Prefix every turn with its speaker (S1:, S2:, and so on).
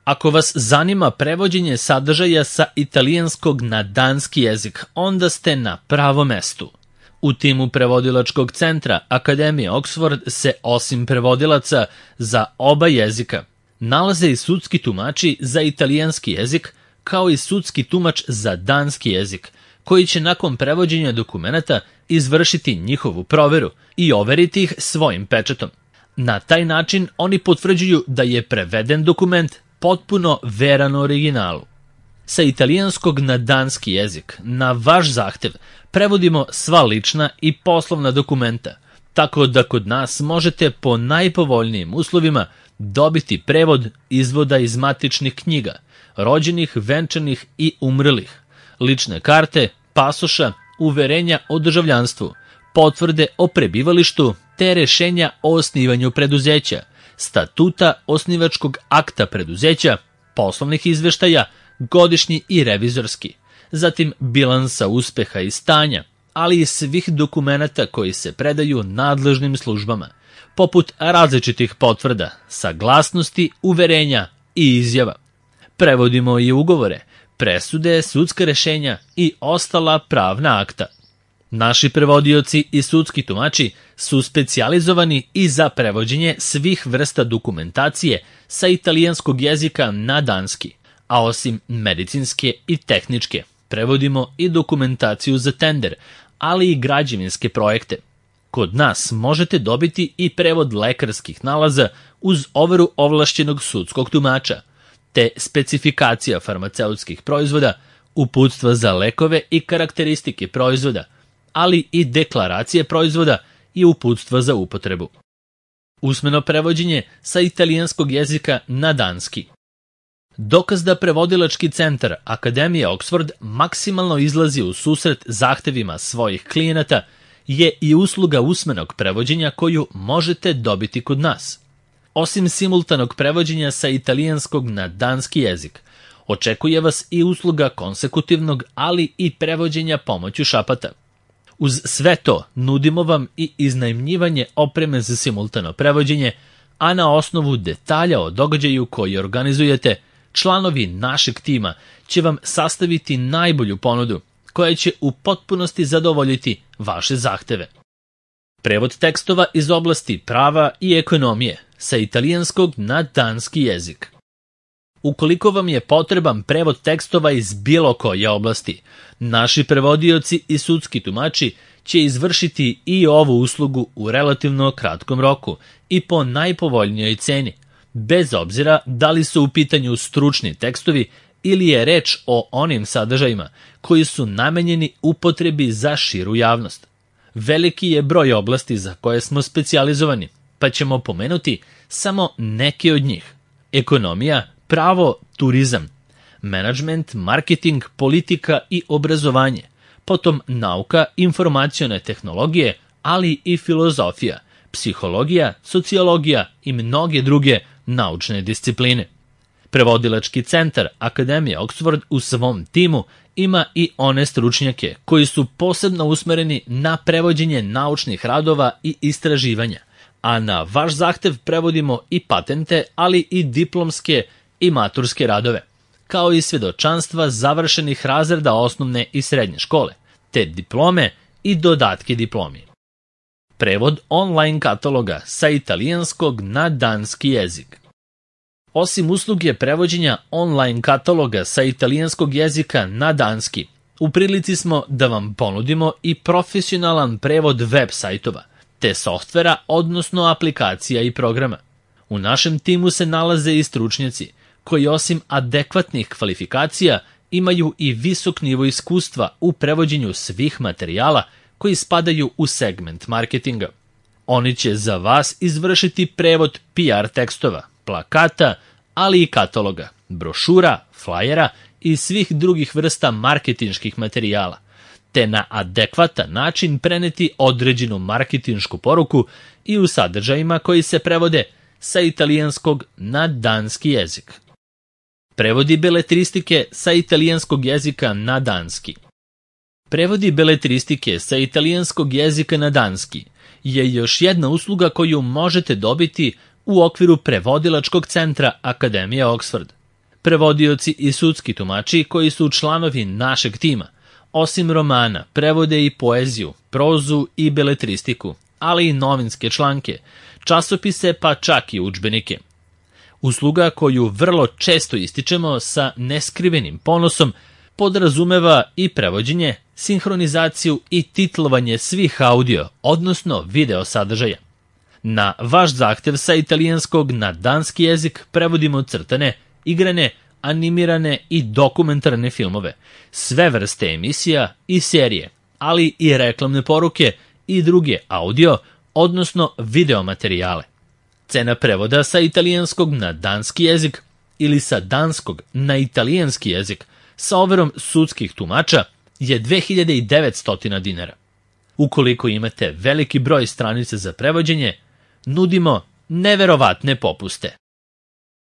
S1: Ako vas zanima prevođenje sadržaja sa italijanskog na danski jezik, onda ste na pravom mestu. U timu prevodilačkog centra Akademije Oxford se osim prevodilaca za oba jezika nalaze i sudski tumači za italijanski jezik, kao i sudski tumač za danski jezik, koji će nakon prevođenja dokumenata izvršiti njihovu proveru i overiti ih svojim pečatom. Na taj način oni potvrđuju da je preveden dokument potpuno veran originalu. Sa italijanskog na danski jezik, na vaš zahtev, prevodimo sva lična i poslovna dokumenta, tako da kod nas možete po najpovoljnijim uslovima dobiti prevod izvoda iz matičnih knjiga, rođenih, venčanih i umrlih, lične karte, pasoša, uverenja o državljanstvu, potvrde o prebivalištu te rešenja o osnivanju preduzeća, statuta osnivačkog akta preduzeća, poslovnih izveštaja, godišnji i revizorski, zatim bilansa uspeha i stanja, ali i svih dokumenata koji se predaju nadležnim službama, poput različitih potvrda, saglasnosti, uverenja i izjava. Prevodimo i ugovore, presude, sudska rešenja i ostala pravna akta. Naši prevodioci i sudski tumači su specijalizovani i za prevođenje svih vrsta dokumentacije sa italijanskog jezika na danski, a osim medicinske i tehničke, prevodimo i dokumentaciju za tender, ali i građevinske projekte. Kod nas možete dobiti i prevod lekarskih nalaza uz overu ovlašćenog sudskog tumača, te specifikacija farmaceutskih proizvoda, uputstva za lekove i karakteristike proizvoda, ali i deklaracije proizvoda i uputstva za upotrebu. Usmeno prevođenje sa italijanskog jezika na danski. Dokaz da prevodilački centar Akademije Oxford maksimalno izlazi u susret zahtevima svojih klijenata je i usluga usmenog prevođenja koju možete dobiti kod nas. Osim simultanog prevođenja sa italijanskog na danski jezik, očekuje vas i usluga konsekutivnog, ali i prevođenja pomoću šapata. Uz sve to nudimo vam i iznajmljivanje opreme za simultano prevođenje, a na osnovu detalja o događaju koji organizujete, članovi našeg tima će vam sastaviti najbolju ponudu koja će u potpunosti zadovoljiti vaše zahteve. Prevod tekstova iz oblasti prava i ekonomije sa italijanskog na danski jezik. Ukoliko vam je potreban prevod tekstova iz bilo koje oblasti, naši prevodioci i sudski tumači će izvršiti i ovu uslugu u relativno kratkom roku i po najpovoljnijoj ceni, bez obzira da li su u pitanju stručni tekstovi ili je reč o onim sadržajima koji su namenjeni upotrebi za širu javnost. Veliki je broj oblasti za koje smo specijalizovani, pa ćemo pomenuti samo neke od njih. Ekonomija, pravo, turizam, menadžment, marketing, politika i obrazovanje, potom nauka, informacione tehnologije, ali i filozofija, psihologija, sociologija i mnoge druge naučne discipline. Prevodilački centar Akademije Oxford u svom timu ima i one stručnjake koji su posebno usmereni na prevođenje naučnih radova i istraživanja, a na vaš zahtev prevodimo i patente, ali i diplomske i maturske radove, kao i svedočanstva završenih razreda osnovne i srednje škole, te diplome i dodatke diplomi. Prevod online kataloga sa italijanskog na danski jezik. Osim usluge prevođenja online kataloga sa italijanskog jezika na danski, u prilici smo da vam ponudimo i profesionalan prevod web sajtova, te softvera, odnosno aplikacija i programa. U našem timu se nalaze i stručnjaci, koji osim adekvatnih kvalifikacija imaju i visok nivo iskustva u prevođenju svih materijala koji spadaju u segment marketinga. Oni će za vas izvršiti prevod PR tekstova, plakata, ali i kataloga, brošura, flajera i svih drugih vrsta marketinških materijala, te na adekvatan način preneti određenu marketinšku poruku i u sadržajima koji se prevode sa italijanskog na danski jezik. Prevodi beletristike sa italijanskog jezika na danski. Prevodi beletristike sa italijanskog jezika na danski je još jedna usluga koju možete dobiti u okviru prevodilačkog centra Akademije Oxford. Prevodioci i sudski tumači koji su članovi našeg tima, osim romana, prevode i poeziju, prozu i beletristiku, ali i novinske članke, časopise pa čak i udžbenike. Usluga koju vrlo često ističemo sa neskrivenim ponosom podrazumeva i prevođenje, sinhronizaciju i titlovanje svih audio, odnosno video sadržaja. Na vaš zahtev sa italijanskog na danski jezik prevodimo crtane, igrane, animirane i dokumentarne filmove, sve vrste emisija i serije, ali i reklamne poruke i druge audio, odnosno video materijale. Cena prevoda sa italijanskog na danski jezik ili sa danskog na italijanski jezik sa overom sudskih tumača je 2900 dinara. Ukoliko imate veliki broj stranica za prevođenje, nudimo neverovatne popuste.